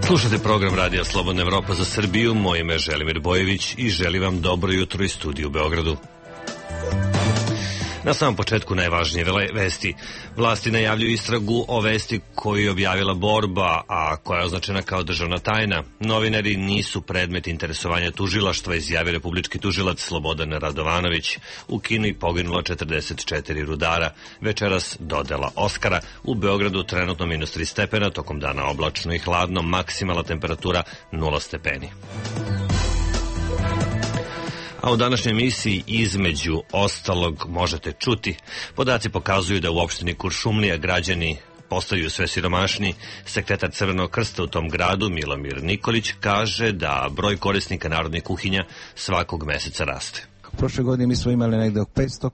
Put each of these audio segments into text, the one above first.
Slušate program Radija Slobodna Evropa za Srbiju. Moje ime je Želimir Bojević i želim vam dobro jutro iz studiju u Beogradu. Na samom početku najvažnije vesti. Vlasti najavljuju istragu o vesti koju je objavila Borba, a koja je označena kao državna tajna. Novinari nisu predmet interesovanja tužilaštva, izjavio republički tužilac Slobodan Radovanović. U Kini poginulo 44 rudara. Večeras dodela Oskara. U Beogradu trenutno -3 stepena, tokom dana oblačno i hladno, maksimalna temperatura 0 stepeni. A u današnjoj emisiji između ostalog možete čuti. Podaci pokazuju da u opštini Kuršumlija građani postaju sve siromašniji. Sekretar Crvenog krsta u tom gradu, Milomir Nikolić, kaže da broj korisnika narodnih kuhinja svakog meseca raste. Prošle godine mi smo imali negde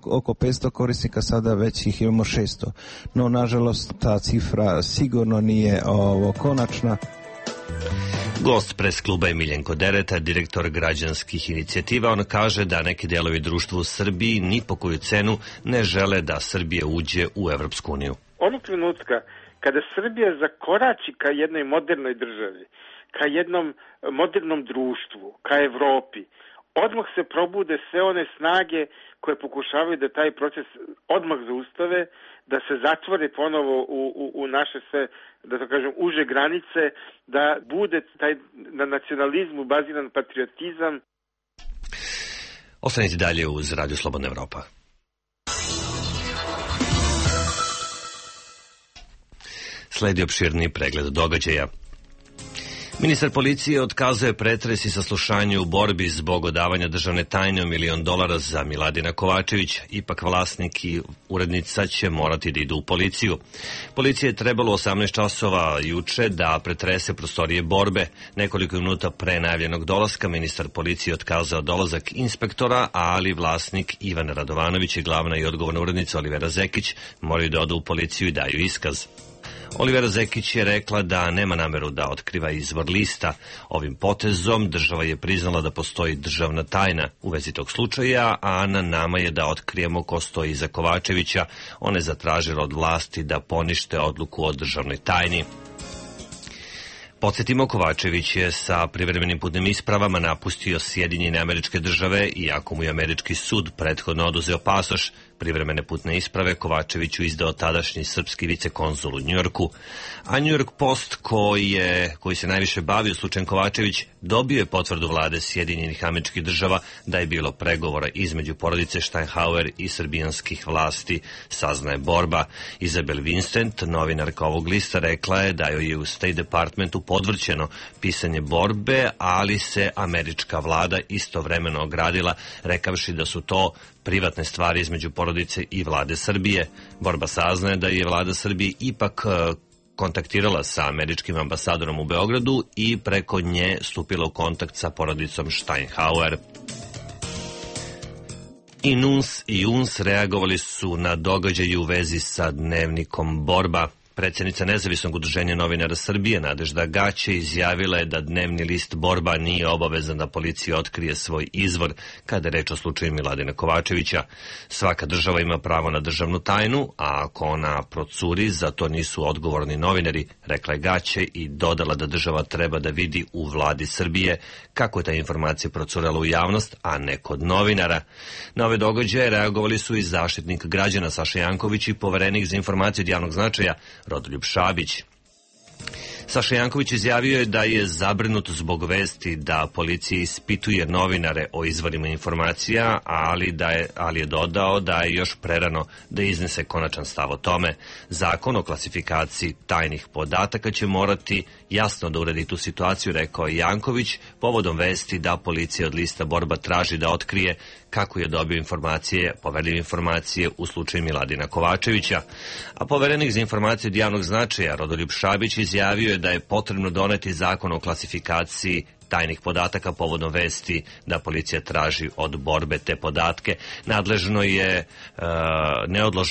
oko 500 korisnika, sada već ih imamo 600. No, nažalost, ta cifra sigurno nije konačna. Gost pres kluba je Miljenko Dereta, direktor građanskih inicijativa. On kaže da neki delovi društva u Srbiji ni po koju cenu ne žele da Srbija uđe u Evropsku uniju. Onog trenutka kada Srbija zakorači ka jednoj modernoj državi, ka jednom modernom društvu, ka Evropi, odmah se probude sve one snage koje pokušavaju da taj proces odmah zaustave, da se zatvore ponovo u naše sve, da to kažem, uže granice, da bude taj na nacionalizmu baziran patriotizam. Ostanite dalje uz Radio Slobodna Evropa. Sledi opširni pregled događaja. Ministar policije otkazuje pretres i saslušanje u borbi zbog odavanja državne tajne $1 milion za Miladina Kovačevića. Ipak vlasnik i urednica će morati da idu u policiju. Policija je trebalo 18 časova juče da pretrese prostorije borbe. Nekoliko minuta pre najavljenog dolaska ministar policije otkazao dolazak inspektora, ali vlasnik Ivan Radovanović i glavna i odgovorna urednica Olivera Zekić moraju da odu u policiju i daju iskaz. Olivera Zekić je rekla da nema nameru da otkriva izvor lista. Ovim potezom država je priznala da postoji državna tajna u vezi tog slučaja, a na nama je da otkrijemo ko stoji iza Kovačevića. Ona je zatražila od vlasti da ponište odluku o državnoj tajni. Podsjetimo, Kovačević je sa privremenim putnim ispravama napustio Sjedinjene Američke Države, iako mu je američki sud prethodno oduzeo pasoš. Privremene putne isprave Kovačeviću izdao tadašnji srpski vicekonzul u Njujorku. A New York Post, koji se najviše bavio slučajem Kovačević, dobio je potvrdu vlade Sjedinjenih Američkih Država da je bilo pregovora između porodice Steinhauer i srbijanskih vlasti, saznaje Borba. Izabel Vincent, novinarka ovog lista, rekla je da joj je u State Departmentu podvrćeno pisanje Borbe, ali se američka vlada istovremeno ogradila, rekavši da su to privatne stvari između porodice i vlade Srbije. Borba saznaje da je vlada Srbije ipak kontaktirala sa američkim ambasadorom u Beogradu i preko nje stupila u kontakt sa porodicom Steinhauer. I NUNS i UNS reagovali su na događaje u vezi sa dnevnikom Borba. Predsjednica Nezavisnog udruženja novinara Srbije, Nadežda Gaće, izjavila je da dnevni list Borba nije obavezan da policija otkrije svoj izvor kada je reč o slučaju Miladina Kovačevića. Svaka država ima pravo na državnu tajnu, a ako ona procuri, za to nisu odgovorni novinari, rekla je Gaće i dodala da država treba da vidi u vladi Srbije kako je ta informacija procurela u javnost, a ne kod novinara. Na ove događaje reagovali su i zaštitnik građana Saša Janković i poverenik za informacije od javnog značaja Rodoljub Šabić. Saša Janković izjavio je da je zabrinut zbog vesti da policija ispituje novinare o izvorima informacija, ali je dodao da je još prerano da iznese konačan stav o tome. Zakon o klasifikaciji tajnih podataka će morati jasno da uredi tu situaciju, rekao je Janković, povodom vesti da policija od lista Borba traži da otkrije kako je dobio informacije, poverljive informacije u slučaju Miladina Kovačevića. A poverenik za informacije od javnog značaja Rodoljub Šabić izjavio je da je potrebno doneti zakon o klasifikaciji tajnih podataka povodom vesti da policija traži od Borbe te podatke. Neodložno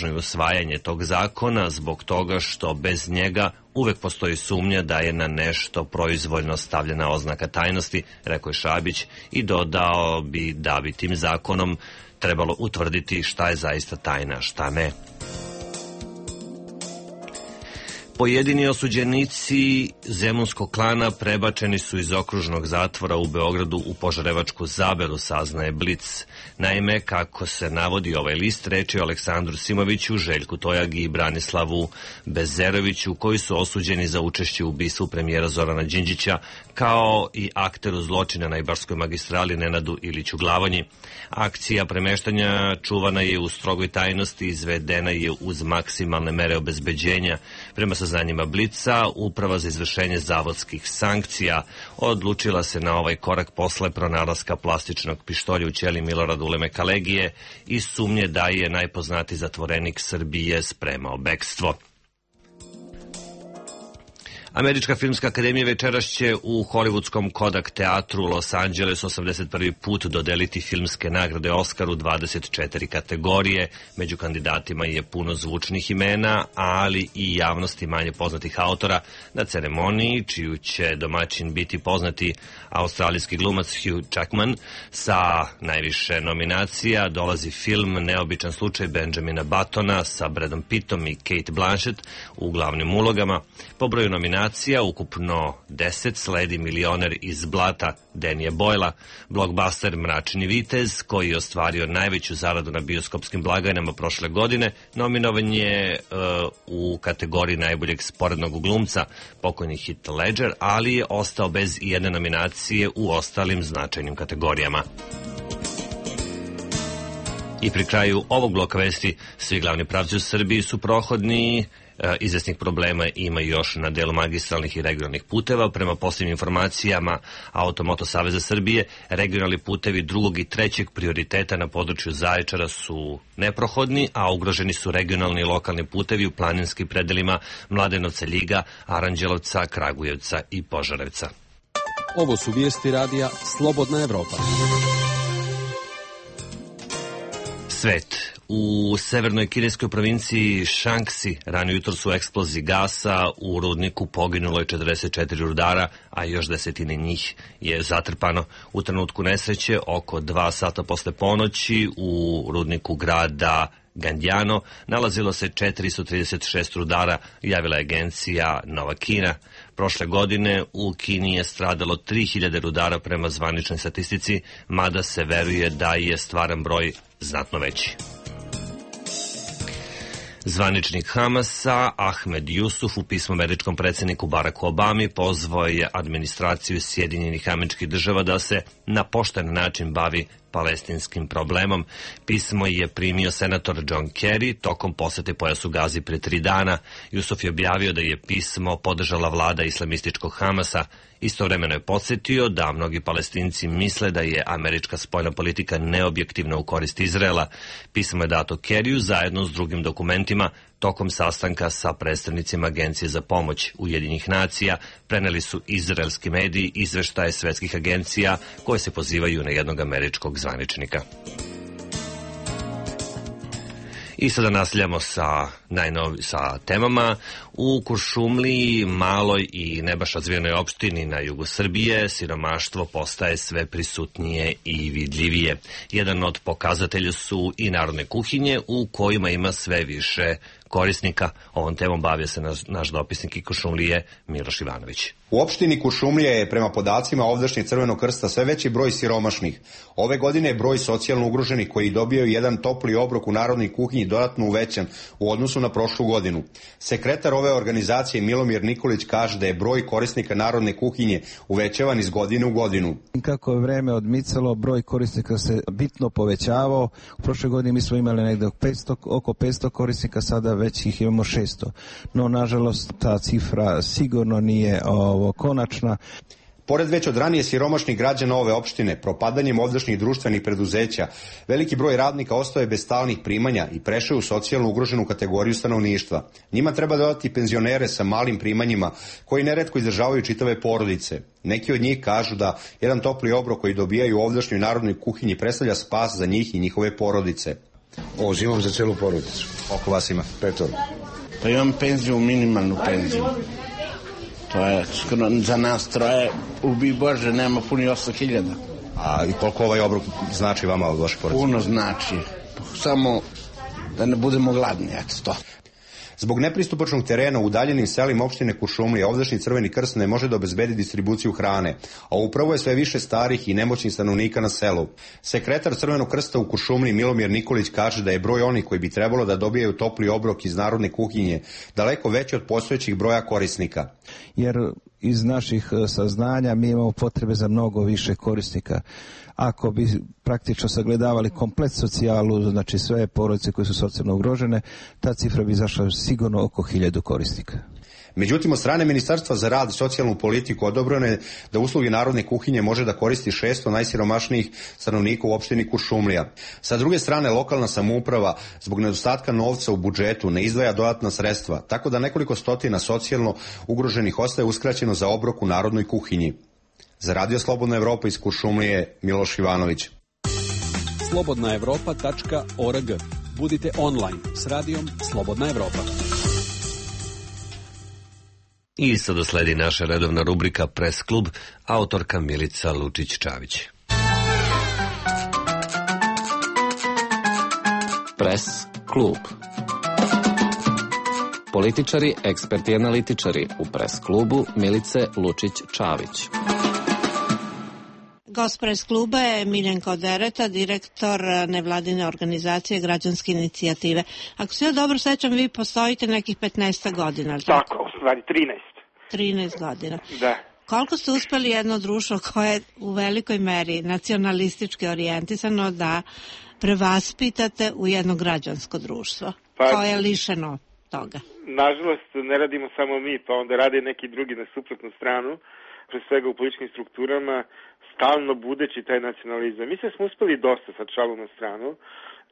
je usvajanje tog zakona zbog toga što bez njega uvek postoji sumnja da je na nešto proizvoljno stavljena oznaka tajnosti, rekao je Šabić i dodao bi da bi tim zakonom trebalo utvrditi šta je zaista tajna, šta ne. Pojedini osuđenici zemunskog klana prebačeni su iz okružnog zatvora u Beogradu u Požarevačku Zaberu, saznaje Blic. Naime, kako se navodi ovaj list, reč je o Aleksandru Simoviću, Željku Tojagi i Branislavu Bezeroviću, koji su osuđeni za učešće u ubistvu premijera Zorana Đinđića, kao i akteru zločina na Ibarskoj magistrali Nenadu Iliću Glavonji. Akcija premeštanja čuvana je u strogoj tajnosti, izvedena je uz maksimalne mere obezbeđenja. Prema saznanjima Blica, Uprava za izvršenje zavodskih sankcija odlučila se na ovaj korak posle pronalaska plastičnog pištolja u ćeliji Milorada Uleme Kalegije i sumnje da je najpoznatiji zatvorenik Srbije spremao bekstvo. Američka filmska akademija večeras će u hollywoodskom Kodak teatru u Los Angelesu 81. put dodeliti filmske nagrade Oskar u 24 kategorije. Među kandidatima je puno zvučnih imena, ali i javnosti manje poznatih autora. Na ceremoniji, čiju će domaćin biti poznati australijski glumac Hugh Jackman, sa najviše nominacija dolazi film Neobičan slučaj Benjamina Buttona sa Bradom Pittom i Kate Blanchett u glavnim ulogama. Po broju nominacija ukupno 10 sledi Milioner iz blata Danija Boyla, blockbuster Mračni vitez, koji je ostvario najveću zaradu na bioskopskim blagajnama prošle godine, nominovan je u kategoriji najboljeg sporednog glumca, pokojni Heath Ledger, ali je ostao bez jedne nominacije u ostalim značajnim kategorijama. I pri kraju ovog bloka vesti, svi glavni pravci u Srbiji su prohodni. Izvesnih problema ima još na delu magistralnih i regionalnih puteva. Prema posljednjim informacijama Automoto Saveza Srbije, regionalni putevi drugog i trećeg prioriteta na području Zaječara su neprohodni, a ugroženi su regionalni i lokalni putevi u planinskim predelima Mladenovca, Ljiga, Aranđelovca, Kragujevca i Požarevca. Ovo su vijesti radija Slobodna Evropa. Svet. U severnoj kineskoj provinciji Šanksi rano jutro su eksploziji gasa u rudniku poginulo je 44 rudara, a još desetine njih je zatrpano. U trenutku nesreće, oko 2 sata posle ponoći, u rudniku grada Gandjano nalazilo se 436 rudara, javila je agencija Nova Kina. Prošle godine u Kini je stradalo 3000 rudara prema zvaničnoj statistici, mada se veruje da je stvaran broj znatno veći. Zvaničnik Hamasa Ahmed Jusuf u pismu američkom predsjedniku Baracku Obami pozvao je administraciju Sjedinjenih Američkih Država da se na pošten način bavi palestinskim problemom. Pismo je primio senator John Kerry tokom posete pojasu Gazi pre 3 dana. Jusuf je objavio da je pismo podržala vlada islamističkog Hamasa. Istovremeno je podsjetio da mnogi Palestinci misle da je američka spoljna politika neobjektivna u korist Izraela. Pismo je dato Kerryu zajedno s drugim dokumentima tokom sastanka sa predstavnicima Agencije za pomoć Ujedinjenih nacija. Preneli su izraelski mediji izveštaje svetskih agencija koje se pozivaju na jednog američkog zvaničnika. I sada nastavljamo sa temama. U Kuršumliji, maloj i ne baš razvijenoj opštini na jugu Srbije, siromaštvo postaje sve prisutnije i vidljivije. Jedan od pokazatelja su i narodne kuhinje u kojima ima sve više korisnika. Ovom temom bavio se naš dopisnik i Kuršumlije Miloš Ivanović. U opštini Kuršumlija je prema podacima ovdašnjeg Crvenog krsta sve veći broj siromašnih. Ove godine je broj socijalno ugroženih koji dobijaju jedan topli obrok u narodnoj kuhinji dodatno uvećan u odnosu na prošlu godinu. Sekretar ove organizacije Milomir Nikolić kaže da je broj korisnika narodne kuhinje uvećavan iz godine u godinu. Kako je vreme odmicalo, broj korisnika se bitno povećavao. U prošloj godini mi smo imali negde oko 500 korisnika, sada već ih imamo 600. No, nažalost, ta cifra sigurno nije konačna. Pored već od ranije siromašnih građana ove opštine, propadanjem ovdašnjih društvenih preduzeća, veliki broj radnika ostao je bez stalnih primanja i prešao u socijalno ugroženu kategoriju stanovništva. Njima treba dodati penzionere sa malim primanjima, koji neretko izdržavaju čitave porodice. Neki od njih kažu da jedan topli obrok koji dobijaju u ovdašnjoj narodnoj kuhinji predstavlja spas za njih i njihove porodice. Uzimam za celu porodicu. Oko vas ima? 5. Pa imam penziju, minimalnu penziju. To je skoro za nas troje, ubij Bože, nema puni 8.000. A i koliko ovaj obrok znači vama od vaše porodice? Puno znači. Samo da ne budemo gladni, eto to. Zbog nepristupačnog terena u udaljenim selima opštine Kuršumlija ovdašnji Crveni krst ne može da obezbedi distribuciju hrane, a upravo je sve više starih i nemoćnih stanovnika na selu. Sekretar Crvenog krsta u Kuršumliji Milomir Nikolić kaže da je broj onih koji bi trebalo da dobijaju topli obrok iz narodne kuhinje daleko veći od postojećih broja korisnika. Jer iz naših saznanja mi imamo potrebe za mnogo više korisnika. Ako bi praktično sagledavali komplet socijalu, znači sve porodice koje su socijalno ugrožene, ta cifra bi izašla sigurno oko 1000 korisnika. Međutim, od strane Ministarstva za rad i socijalnu politiku odobreno je da usluge narodne kuhinje može da koristi 600 najsiromašnijih stanovnika u opštini Kuršumlija. Sa druge strane, lokalna samouprava zbog nedostatka novca u budžetu ne izdvaja dodatna sredstva, tako da nekoliko stotina socijalno ugroženih ostaje uskraćeno za obrok u narodnoj kuhinji. Za Radio Slobodna Evropa iz Kuršumlije, Miloš Ivanović. slobodnaevropa.org. Budite online s radijom Slobodna Evropa. I sada sledi naša redovna rubrika Press klub, autorka Milica Lučić-Čavić. Press klub. Političari, eksperti i analitičari u Press klubu Milice Lučić-Čavić. Gost Press kluba je Miljenko Dereta, direktor nevladine organizacije Građanske inicijative. Ako se ja dobro sećam, vi postojite nekih 15 godina. Tako, u stvari 13 godina. Da. Koliko ste uspeli jedno društvo koje je u velikoj meri nacionalistički orijentisano da prevaspitate u jedno građansko društvo koje je lišeno toga? Nažalost, ne radimo samo mi, pa onda rade neki drugi na suprotnu stranu, pre svega u političkim strukturama, stalno budeći taj nacionalizam. Mislim da smo uspeli dosta sad šalu na stranu,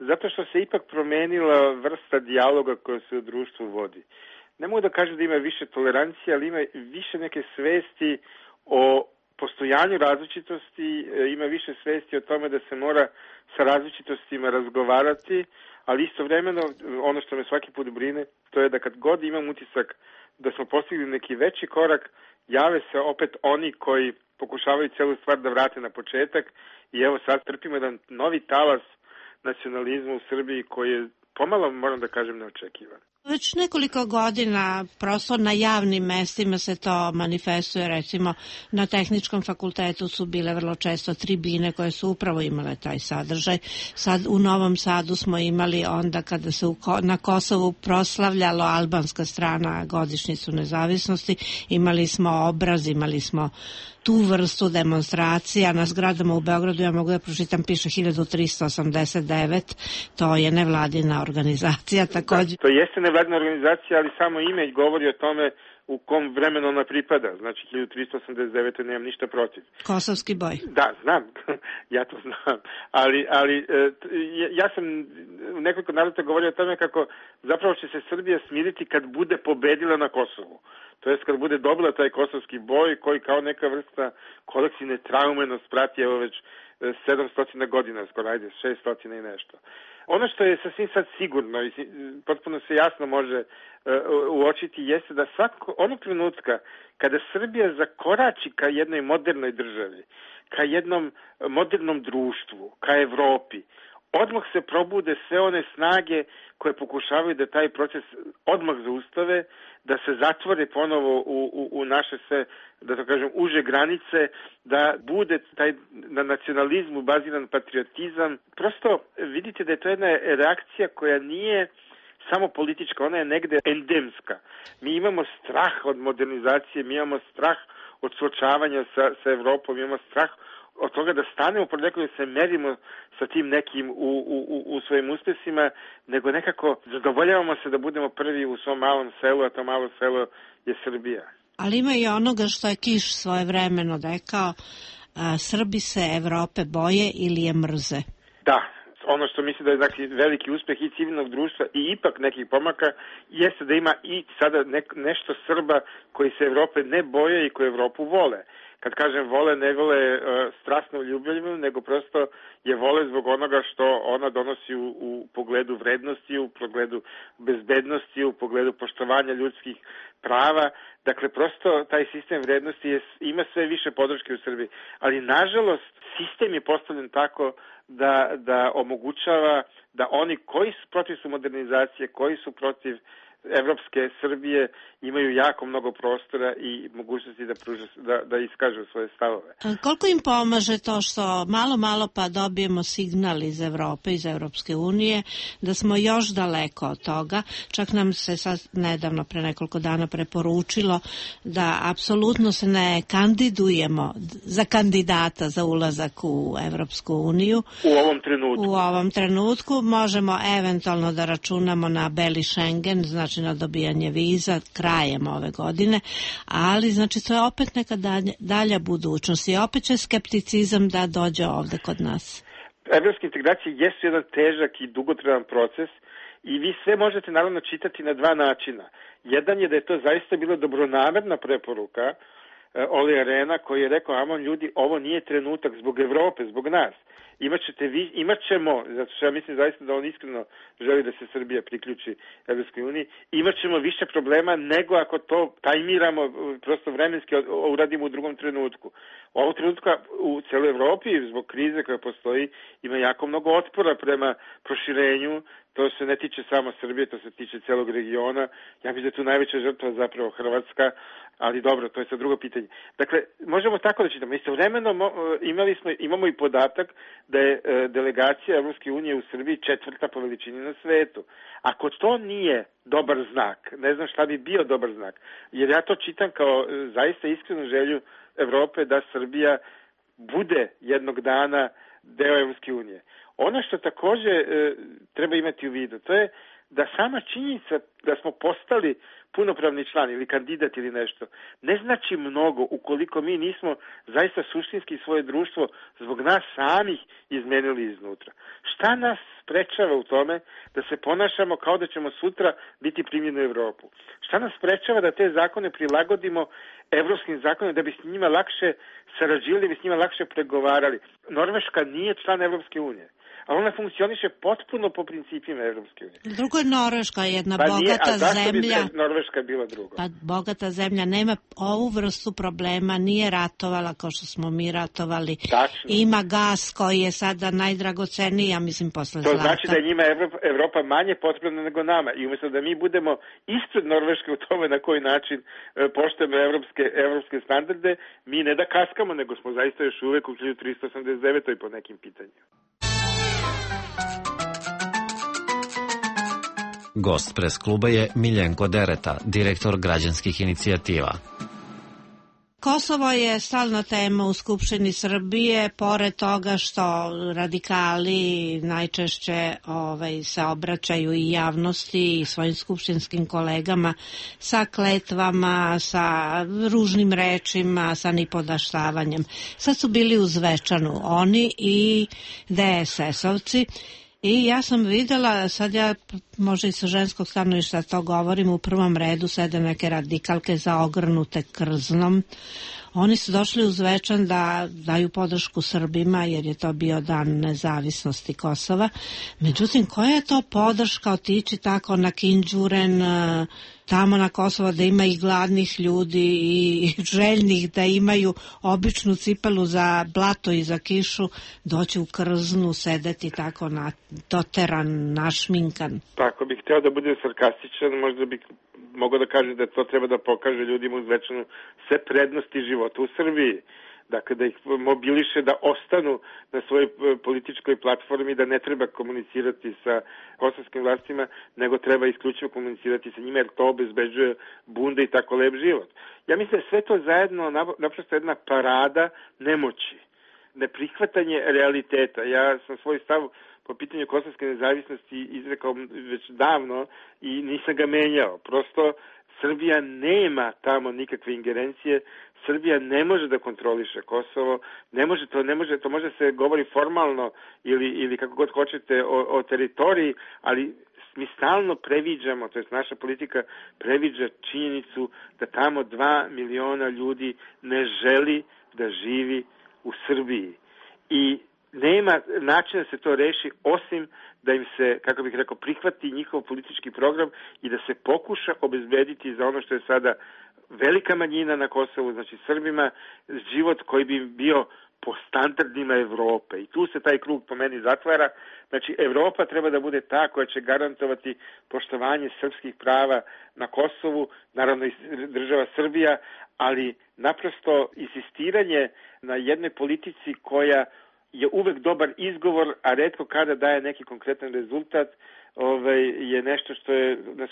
zato što se ipak promenila vrsta dijaloga koja se u društvu vodi. Ne mogu da kažem da ima više tolerancije, ali ima više neke svesti o postojanju različitosti, ima više svesti o tome da se mora sa različitostima razgovarati, ali istovremeno ono što me svaki put brine, to je da kad god imam utisak da smo postigli neki veći korak, jave se opet oni koji pokušavaju celu stvar da vrate na početak i evo sad trpimo jedan novi talas nacionalizma u Srbiji koji je pomalo, moram da kažem, neočekivan. Već nekoliko godina prosto na javnim mestima se to manifestuje, recimo na Tehničkom fakultetu su bile vrlo često tribine koje su upravo imale taj sadržaj. Sad u Novom Sadu smo imali onda kada se na Kosovu proslavljalo albanska strana godišnjicu nezavisnosti, imali smo obraz, imali smo tu vrstu demonstracija. Na zgradama u Beogradu, ja mogu da pročitam, piše 1389, to je nevladina organizacija takođe. Da, to jeste nevladina organizacija, ali samo ime govori o tome u kom vremenu ona pripada. Znači 1389. nemam ništa protiv. Kosovski boj. Da, znam, ja to znam. Ali ja sam u nekoliko navrata govorio o tome kako zapravo će se Srbija smiriti kad bude pobedila na Kosovu. To jest kad bude dobila taj kosovski boj koji kao neka vrsta kolektivne traume nas prati evo već 700 godina, skoro ajde 600 i nešto. Ono što je sasvim sad sigurno i potpuno se jasno može uočiti jeste da onog trenutka kada Srbija zakorači ka jednoj modernoj državi, ka jednom modernom društvu, ka Evropi, odmah se probude sve one snage koje pokušavaju da taj proces odmah zaustave, da se zatvore ponovo u naše sve, da to kažem, uže granice, da bude taj na nacionalizmu baziran patriotizam. Prosto vidite da je to jedna reakcija koja nije samo politička, ona je negde endemska. Mi imamo strah od modernizacije, mi imamo strah od suočavanja sa Evropom, imamo strah od toga da stanemo pred nekom da se merimo sa tim nekim u svojim uspesima, nego nekako zadovoljavamo se da budemo prvi u svom malom selu, a to malo selo je Srbija. Ali ima i onoga što je Kiš svojevremeno rekao, Srbi se Evrope boje ili je mrze. Da, ono što mislim da je znači, veliki uspeh i civilnog društva i ipak nekih pomaka jeste da ima i sada nešto Srba koji se Evrope ne boje i koji Evropu vole. Kad kažem vole, ne vole strasno ljubavljivo, nego prosto je vole zbog onoga što ona donosi u pogledu vrednosti, u pogledu bezbednosti, u pogledu poštovanja ljudskih prava. Dakle, prosto taj sistem vrednosti ima sve više podrške u Srbiji. Ali, nažalost, sistem je postavljen tako da omogućava da oni koji su protiv modernizacije, koji su protiv evropske Srbije imaju jako mnogo prostora i mogućnosti da iskažu svoje stavove. Koliko im pomaže to što malo pa dobijemo signal iz Evrope, iz Evropske unije, da smo još daleko od toga? Čak nam se sad nedavno, pre nekoliko dana, preporučilo da apsolutno se ne kandidujemo za kandidata za ulazak u Evropsku uniju. U ovom trenutku možemo eventualno da računamo na beli Schengen, znači na dobijanje viza krajem ove godine, ali znači to je opet neka dalja budućnost i opet će skepticizam da dođe ovde kod nas. Evropske integracije jesu jedan težak i dugotrajan proces i vi sve možete naravno čitati na dva načina. Jedan je da je to zaista bila dobronamerna preporuka Olija Rehna koji je rekao, amon ljudi, ovo nije trenutak zbog Evrope, zbog nas. Imat ćemo, zato što ja mislim zaista da on iskreno želi da se Srbija priključi Evropskoj uniji, imat ćemo više problema nego ako to tajmiramo, prosto vremenski uradimo u drugom trenutku. U ovom trenutku u celoj Evropi, zbog krize koja postoji, ima jako mnogo otpora prema proširenju. To se ne tiče samo Srbije, to se tiče celog regiona. Ja mislim da je tu najveća žrtva zapravo Hrvatska, ali dobro, to je sad drugo pitanje. Dakle, možemo tako da čitamo. Istovremeno imamo i podatak da je delegacija Evropske unije u Srbiji 4. po veličini na svetu. Ako to nije dobar znak, ne znam šta bi bio dobar znak, jer ja to čitam kao zaista iskrenu želju Evrope da Srbija bude jednog dana deo Evropske unije. Ono što takođe treba imati u vidu, to je da sama činjenica da smo postali punopravni član ili kandidat ili nešto, ne znači mnogo ukoliko mi nismo zaista suštinski svoje društvo zbog nas samih izmenili iznutra. Šta nas sprečava u tome da se ponašamo kao da ćemo sutra biti primljeni u Evropu? Šta nas sprečava da te zakone prilagodimo evropskim zakonima da bi s njima lakše sarađivali, da bi s njima lakše pregovarali? Norveška nije član Evropske unije, ali ona funkcioniše potpuno po principima Evropske unije. Drugo je Norveška, jedna bogata zemlja. Zašto bi Norveška bila drugo? Pa bogata zemlja nema ovu vrstu problema, nije ratovala kao što smo mi ratovali. Tačno. Ima gas koji je sada najdragoceniji, ja mislim, posle zlata. To znači da je njima Evropa manje potrebna nego nama. I umjesto da mi budemo ispred Norveške u tome na koji način poštujemo evropske standarde, mi ne da kaskamo, nego smo zaista još uvek u 1389. po nekim pitanjima. Gost pres kluba je Miljenko Dereta, direktor građanskih inicijativa. Kosovo je stalna tema u Skupštini Srbije, pored toga što radikali najčešće se obraćaju i javnosti i svojim skupštinskim kolegama sa kletvama, sa ružnim rečima, sa nipodaštavanjem. Sad su bili u Zvečanu oni i DSS-ovci. I ja sam videla, sad ja možda i sa ženskog stanovišta to govorim, u prvom redu sede neke radikalke zaogrnute krznom. Oni su došli u Zvečan da daju podršku Srbima jer je to bio dan nezavisnosti Kosova. Međutim, koja je to podrška otići tako na Kinđuren, tamo na Kosovo da ima i gladnih ljudi i željnih da imaju običnu cipelu za blato i za kišu, doći u krznu, sedeti tako doteran, našminkan. Pa ako bih hteo da bude sarkastičan, možda bih mogao da kažem da to treba da pokaže ljudima u Zvečanu sve prednosti života u Srbiji. Dakle, da ih mobiliše da ostanu na svojoj političkoj platformi, da ne treba komunicirati sa kosovskim vlastima, nego treba isključivo komunicirati sa njima, jer to obezbeđuje bunde i tako lep život. Ja mislim da sve to zajedno naprosto jedna parada nemoći, neprihvatanje realiteta. Ja sam svoj stav po pitanju kosovske nezavisnosti izrekao već davno i nisam ga menjao. Prosto Srbija nema tamo nikakve ingerencije, Srbija ne može da kontroliše Kosovo, to može se govori formalno ili kako god hoćete o teritoriji, ali mi stalno previđamo, to jest naša politika previđa činjenicu da tamo 2 miliona ljudi ne želi da živi u Srbiji. I nema načina da se to reši osim da im se, kako bih rekao, prihvati njihov politički program i da se pokuša obezbediti za ono što je sada velika manjina na Kosovu, znači Srbima, život koji bi bio po standardima Evrope. I tu se taj krug po meni zatvara. Znači, Evropa treba da bude ta koja će garantovati poštovanje srpskih prava na Kosovu, naravno i država Srbija, ali naprosto insistiranje na jednoj politici koja je uvek dobar izgovor, a retko kada daje neki konkretan rezultat, je nešto što nas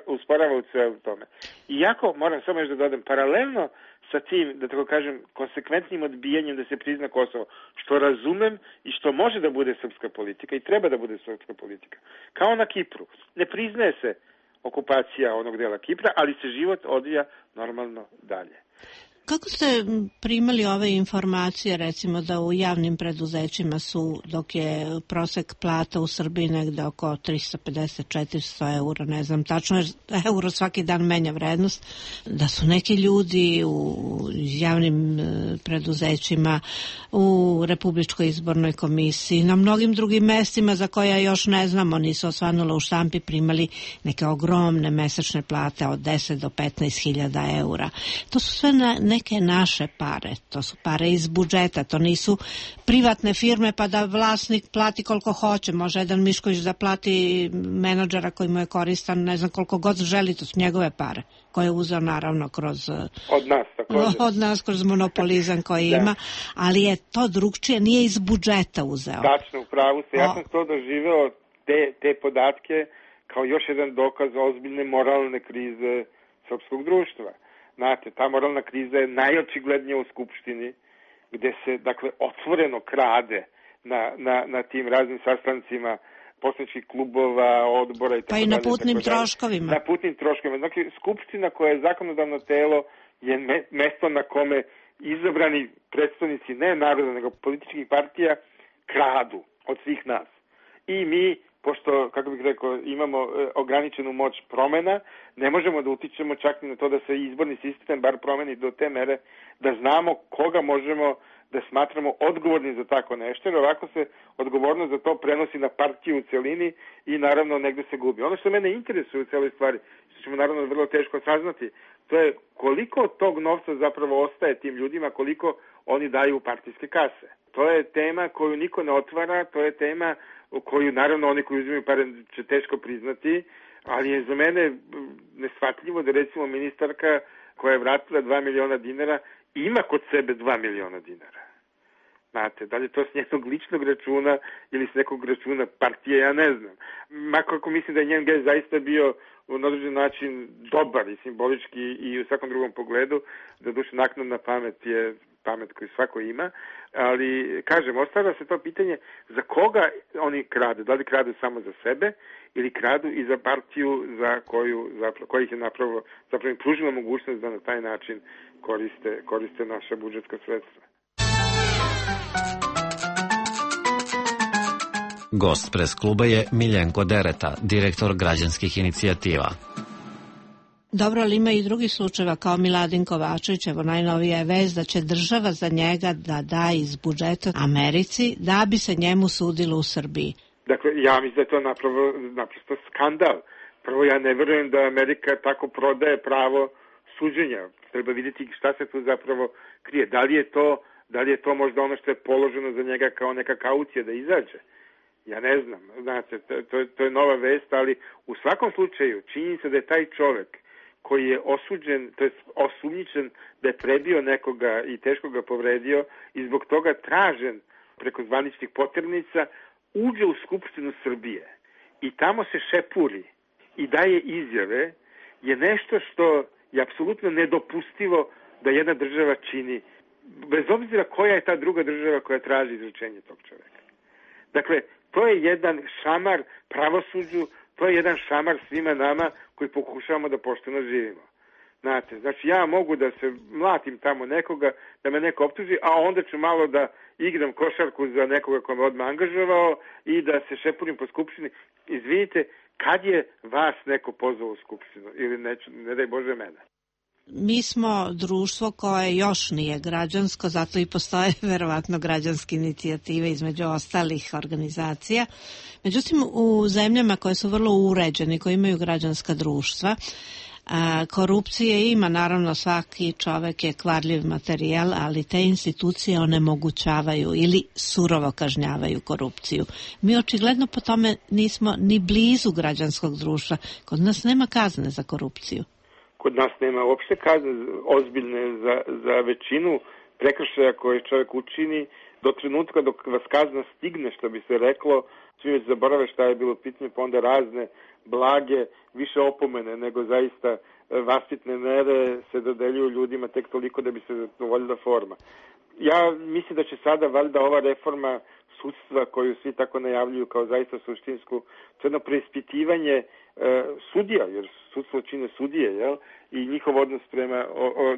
usporava u svemu tome. Iako, moram samo još da dodam, paralelno sa tim, da tako kažem, konsekventnim odbijanjem da se prizna Kosovo, što razumem i što može da bude srpska politika i treba da bude srpska politika. Kao na Kipru. Ne priznaje se okupacija onog dela Kipra, ali se život odvija normalno dalje. Kako ste primali ove informacije, recimo da u javnim preduzećima su, dok je prosek plata u Srbiji negde oko 350-400 eura, ne znam tačno, jer euro svaki dan menja vrednost, da su neki ljudi u javnim preduzećima, u Republičkoj izbornoj komisiji, na mnogim drugim mestima za koja još ne znamo, nisu osvanula u štampi, primali neke ogromne mesečne plate od 10 do 15.000 eura. To su sve neke naše pare, to su pare iz budžeta, to nisu privatne firme pa da vlasnik plati koliko hoće, može jedan Mišković da plati menadžera koji mu je koristan, ne znam koliko god želi, to su njegove pare, koje je uzeo naravno kroz od nas kroz monopolizam koji ima, ali je to drugčije, nije iz budžeta uzeo. Tačno, upravo se, ja sam to doživeo te podatke kao još jedan dokaz ozbiljne moralne krize srpskog društva. Znate, ta moralna kriza je najočiglednija u Skupštini, gde se, dakle, otvoreno krade na tim raznim sastancima poslaničkih klubova, odbora i tako dalje. Pa i na putnim troškovima. Na putnim troškovima. Dakle, Skupština koja je zakonodavno telo je mesto na kome izabrani predstavnici ne naroda, nego političkih partija kradu od svih nas. I mi, pošto, kako bih rekao, imamo ograničenu moć promena, ne možemo da utičemo čak ni na to da se izborni sistem bar promeni do te mere da znamo koga možemo da smatramo odgovorni za tako nešto, jer ovako se odgovornost za to prenosi na partiju u celini i naravno negde se gubi. Ono što mene interesuje u celoj stvari, što ćemo naravno vrlo teško saznati, to je koliko tog novca zapravo ostaje tim ljudima, koliko oni daju u partijske kase. To je tema koju niko ne otvara, to je tema koju naravno oni koji uzimaju pare će teško priznati, ali je za mene neshvatljivo da recimo ministarka koja je vratila 2 miliona dinara ima kod sebe 2 miliona dinara. Znate, da li je to s njenog ličnog računa ili s nekog računa partije, ja ne znam. Makako mislim da je njen gest zaista bio na određen način dobar i simbolički i u svakom drugom pogledu, da duše naknadna pamet je pamet koju svako ima, ali kažem, ostavlja se to pitanje za koga oni kradu, da li kradu samo za sebe ili kradu i za partiju za koja ih je zapravo im pružila mogućnost da na taj način koriste naša budžetska sredstva. Gost pres kluba je Miljenko Dereta, direktor građanskih inicijativa. Dobro, ali ima i drugih slučajeva kao Miladin Kovačević, evo najnovija je vest da će država za njega da da iz budžeta Americi da bi se njemu sudilo u Srbiji. Dakle, ja mislim da je to naprosto skandal. Prvo, ja ne verujem da Amerika tako prodaje pravo suđenja. Treba vidjeti šta se tu zapravo krije. Da li je to možda ono što je položeno za njega kao neka kaucija da izađe? Ja ne znam. Znate, to je nova vest, ali u svakom slučaju činjenica da je taj čovek koji je osuđen, to je osumnjičen da je prebio nekoga i teško ga povredio i zbog toga tražen preko zvaničnih poternica, uđe u Skupštinu Srbije i tamo se šepuri i daje izjave, je nešto što je apsolutno nedopustivo da jedna država čini, bez obzira koja je ta druga država koja traži izručenje tog čoveka. Dakle, to je jedan šamar pravosuđu, to je jedan šamar svima nama koji pokušavamo da pošteno živimo. Znate, znači ja mogu da se mlatim tamo nekoga, da me neko optuži, a onda ću malo da igram košarku za nekoga ko me odmah angažovao i da se šepurim po Skupštini. Izvinite, kad je vas neko pozvao u Skupštinu? Ili ne daj Bože mene. Mi smo društvo koje još nije građansko, zato i postoje verovatno građanske inicijative između ostalih organizacija. Međutim, u zemljama koje su vrlo uređene, koje imaju građanska društva, Korupcije ima, naravno svaki čovek je kvarljiv materijal, ali te institucije onemogućavaju ili surovo kažnjavaju korupciju. Mi očigledno po tome nismo ni blizu građanskog društva. Kod nas nema kazne za korupciju. Kod nas nema uopšte kazne ozbiljne za većinu prekršaja koje čovjek učini. Do trenutka dok vas kazna stigne, što bi se reklo, svi već zaborave šta je bilo pitanje, pa onda razne blage, više opomene nego zaista vaspitne mere se dodeljuju ljudima tek toliko da bi se zadovoljila forma. Ja mislim da će sada valjda ova reforma sudstva koju svi tako najavljuju kao zaista suštinsku, to je jedno preispitivanje sudija, jer sudstvo čine sudije, jel? I njihov odnos prema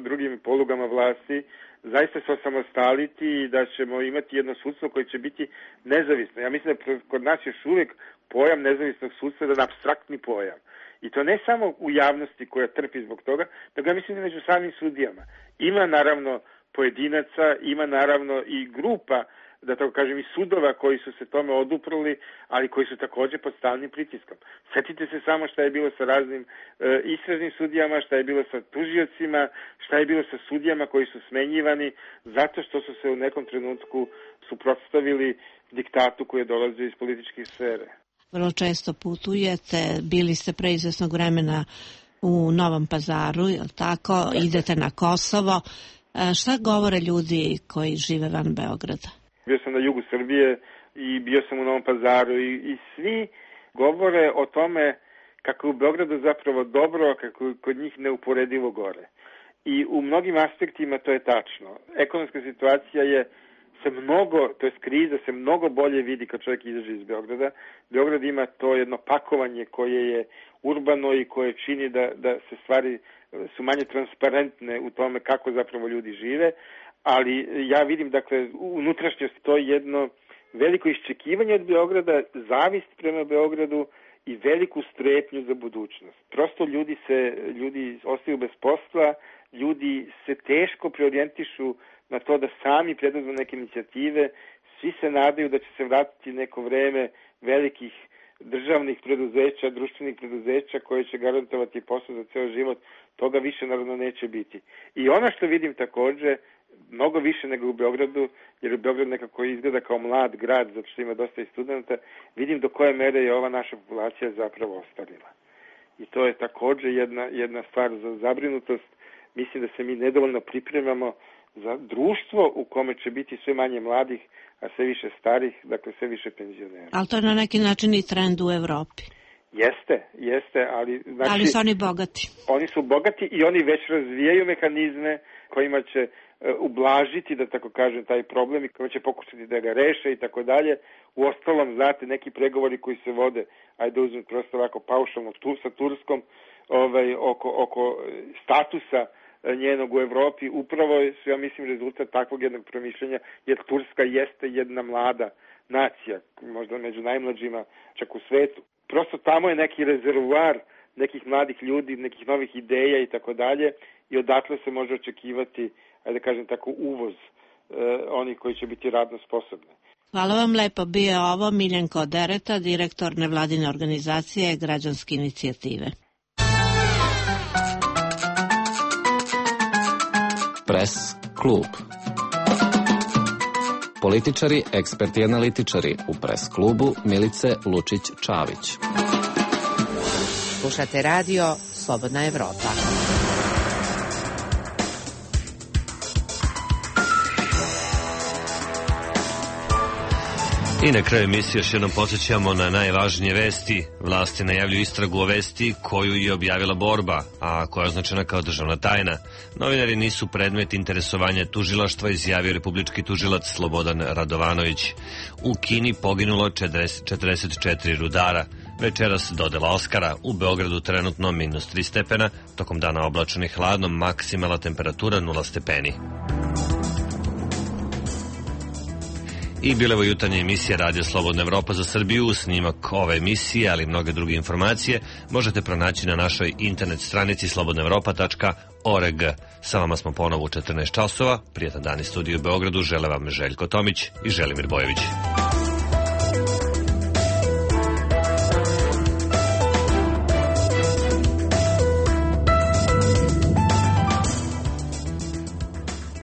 drugim polugama vlasti, zaista se osamostaliti i da ćemo imati jedno sudstvo koje će biti nezavisno. Ja mislim da kod nas još uvijek pojam nezavisnog sudstva je jedan apstraktni pojam. I to ne samo u javnosti koja trpi zbog toga, nego ja mislim da među samim sudijama. Ima naravno pojedinaca, ima naravno i grupa, da tako kažem, i sudova koji su se tome oduprli, ali koji su također pod stalnim pritiskom. Sjetite se samo šta je bilo sa raznim istražnim sudijama, šta je bilo sa tužiocima, šta je bilo sa sudijama koji su smenjivani zato što su se u nekom trenutku suprotstavili diktatu koji je dolazio iz političkih sfere. Vrlo često putujete, bili ste pre izvesnog vremena u Novom Pazaru, je li tako? Idete na Kosovo. Šta govore ljudi koji žive van Beograda? Bio sam na jugu Srbije i bio sam u Novom Pazaru i svi govore o tome kako je u Beogradu zapravo dobro, kako je kod njih neuporedivo gore. I u mnogim aspektima to je tačno. Ekonomska situacija kriza se mnogo bolje vidi kad čovjek izađe iz Beograda. Beograd ima to jedno pakovanje koje je urbano i koje čini da se stvari su manje transparentne u tome kako zapravo ljudi žive, ali ja vidim, dakle, unutrašnjost to je jedno veliko iščekivanje od Beograda, zavist prema Beogradu i veliku strepnju za budućnost. Prosto ljudi ostaju bez posla, ljudi se teško preorijentišu na to da sami preduzmu neke inicijative, svi se nadaju da će se vratiti neko vreme velikih državnih preduzeća, društvenih preduzeća koje će garantovati posao za ceo život, toga više naravno neće biti. I ono što vidim također, mnogo više nego u Beogradu, jer u Beogradu nekako izgleda kao mlad grad, zato što ima dosta i studenta, vidim do koje mere je ova naša populacija zapravo ostarila. I to je također jedna stvar za zabrinutost. Mislim da se mi nedovoljno pripremamo za društvo u kome će biti sve manje mladih, a sve više starih, dakle sve više penzionera. Ali to je na neki način i trend u Evropi. Jeste, ali... Znači, ali su oni bogati. Oni su bogati i oni već razvijaju mehanizme kojima će ublažiti, da tako kažem, taj problem i kojima će pokušati da ga reše i tako dalje. Uostalom, znate, neki pregovori koji se vode, ajde uzmem prosto ovako paušalno sa Turskom, oko statusa njenog u Evropi, upravo su, ja mislim, rezultat takvog jednog promišljenja, jer Turska jeste jedna mlada nacija, možda među najmlađima čak u svetu. Prosto tamo je neki rezervoar nekih mladih ljudi, nekih novih ideja i tako dalje i odatle se može očekivati, ajde da kažem tako, uvoz onih koji će biti radno sposobni. Hvala vam lepo. Bio je ovo Miljenko Dereta, direktor nevladine organizacije Građanske inicijative. Press klub. Političari, eksperti i analitičari u Press klubu Milice Lučić-Čavić. Slušate radio Slobodna Evropa. I na kraju emisije još jednom podsjećamo na najvažnije vesti. Vlasti najavljuju istragu o vesti koju je objavila Borba, a koja je označena kao državna tajna. Novinari nisu predmet interesovanja tužilaštva, izjavio republički tužilac Slobodan Radovanović. U Kini poginulo 44 rudara. Večeras dodela Oskara. U Beogradu trenutno -3 stepena, tokom dana oblačno i hladno, maksimalna temperatura 0 stepeni. I bila je jutarnja emisija Radio Slobodna Evropa za Srbiju. Snimak ove emisije, ali i mnoge druge informacije možete pronaći na našoj internet stranici slobodnaevropa.org. Sa vama smo ponovo u 14 časova. Prijetan dan iz studiju u Beogradu. Žele vam Željko Tomić i Želimir Bojević.